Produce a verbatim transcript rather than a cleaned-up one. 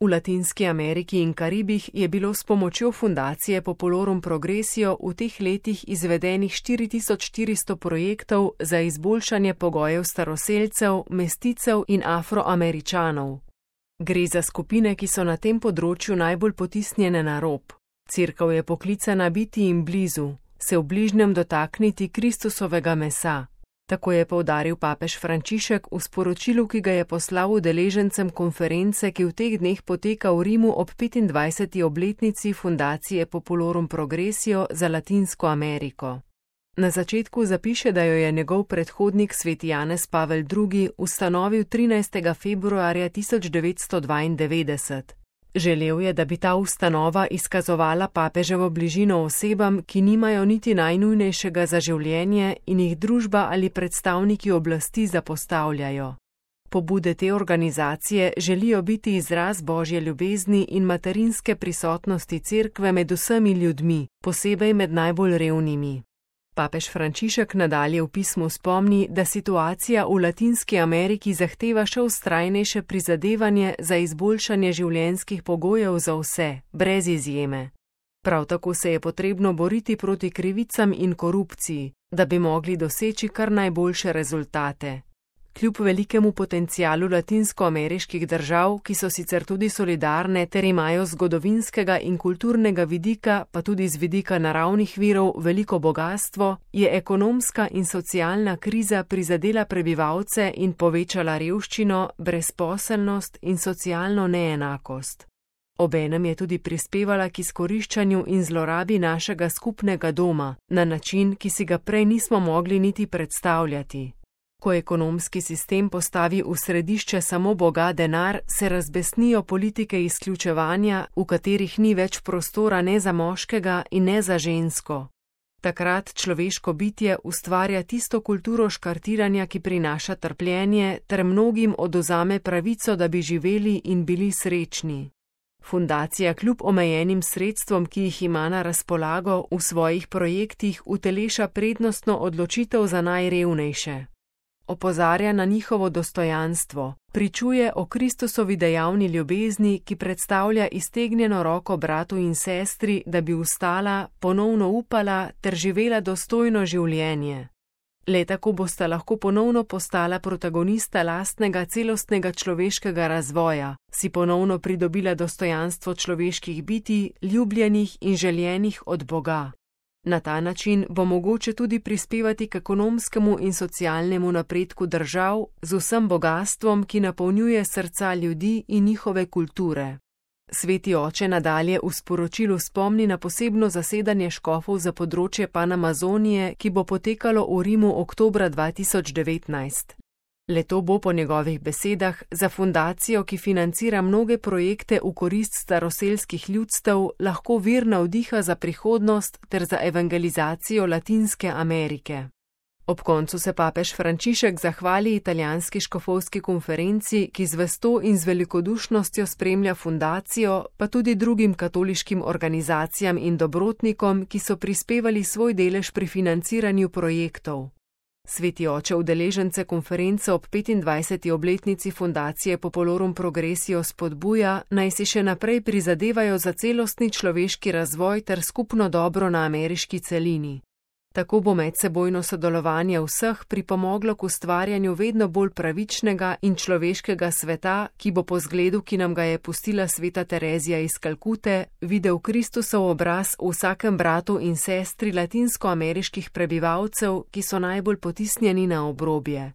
V Latinski Ameriki in Karibih je bilo s pomočjo fundacije Populorum Progressio v teh letih izvedenih štiri tisoč štiristo projektov za izboljšanje pogojev staroselcev, mesticev in Afroameričanov. Gre za skupine, ki so na tem področju najbolj potisnjene na rob. Cerkev je poklicana biti jim blizu, se v bližnjem dotakniti Kristusovega mesa. Tako je poudaril papež Frančišek v sporočilu, ki ga je poslal udeležencem konference, ki v teh dneh poteka v Rimu ob petindvajseti obletnici fundacije Populorum Progressio za Latinsko Ameriko. Na začetku zapiše, da jo je njegov predhodnik sveti Janez Pavel drugi ustanovil trinajstega februarja tisoč devetsto dvaindevetdeset. Želel je, da bi ta ustanova izkazovala papeževo bližino osebam, ki nimajo niti najnujnejšega za življenje in jih družba ali predstavniki oblasti zapostavljajo. Pobude te organizacije želijo biti izraz božje ljubezni in materinske prisotnosti cerkve med vsemi ljudmi, posebej med najbolj revnimi. Papež Frančišek nadalje v pismu spomni, da situacija v Latinski Ameriki zahteva še vztrajnejše prizadevanje za izboljšanje življenjskih pogojev za vse, brez izjeme. Prav tako se je potrebno boriti proti krivicam in korupciji, da bi mogli doseči kar najboljše rezultate. Kljub velikemu potencialu latinskoameriških držav, ki so sicer tudi solidarne ter imajo z zgodovinskega in kulturnega vidika, pa tudi z vidika naravnih virov veliko bogastvo, je ekonomska in socialna kriza prizadela prebivalce in povečala revščino, brezposelnost in socialno neenakost. Obenem je tudi prispevala k izkoriščanju in zlorabi našega skupnega doma, na način, ki si ga prej nismo mogli niti predstavljati. Ko ekonomski sistem postavi v središče samo boga denar, se razbesnijo politike izključevanja, v katerih ni več prostora ne za moškega in ne za žensko. Takrat človeško bitje ustvarja tisto kulturo škartiranja, ki prinaša trpljenje, ter mnogim odvzame pravico, da bi živeli in bili srečni. Fundacija kljub omejenim sredstvom, ki jih ima na razpolago, v svojih projektih uteleša prednostno odločitev za najrevnejše. Opozarja na njihovo dostojanstvo, pričuje o Kristusovi dejavni ljubezni, ki predstavlja iztegnjeno roko bratu in sestri, da bi vstala, ponovno upala ter živela dostojno življenje. Le tako bosta lahko ponovno postala protagonista lastnega celostnega človeškega razvoja, si ponovno pridobila dostojanstvo človeških bitij, ljubljenih in željenih od Boga. Na ta način bo mogoče tudi prispevati k ekonomskemu in socialnemu napredku držav z vsem bogastvom, ki napolnjuje srca ljudi in njihove kulture. Sveti oče nadalje v sporočilu spomni na posebno zasedanje škofov za področje Panamazonije, ki bo potekalo v Rimu oktobra dva tisoč devetnajst. Le to bo po njegovih besedah za fundacijo, ki financira mnoge projekte v korist staroselskih ljudstev, lahko vir navdiha za prihodnost ter za evangelizacijo Latinske Amerike. Ob koncu se papež Frančišek zahvali italijanski škofovski konferenci, ki z vesto in z velikodušnostjo spremlja fundacijo, pa tudi drugim katoliškim organizacijam in dobrotnikom, ki so prispevali svoj delež pri financiranju projektov. Sveti oče udeležence konference ob petindvajseti obletnici fundacije Populorum Progressio spodbuja, naj si še naprej prizadevajo za celostni človeški razvoj ter skupno dobro na ameriški celini. Tako bo medsebojno sodelovanje vseh pripomoglo k ustvarjanju vedno bolj pravičnega in človeškega sveta, ki bo po zgledu, ki nam ga je pustila sveta Terezija iz Kalkute, videl Kristusov obraz v vsakem bratu in sestri latinskoameriških prebivalcev, ki so najbolj potisnjeni na obrobje.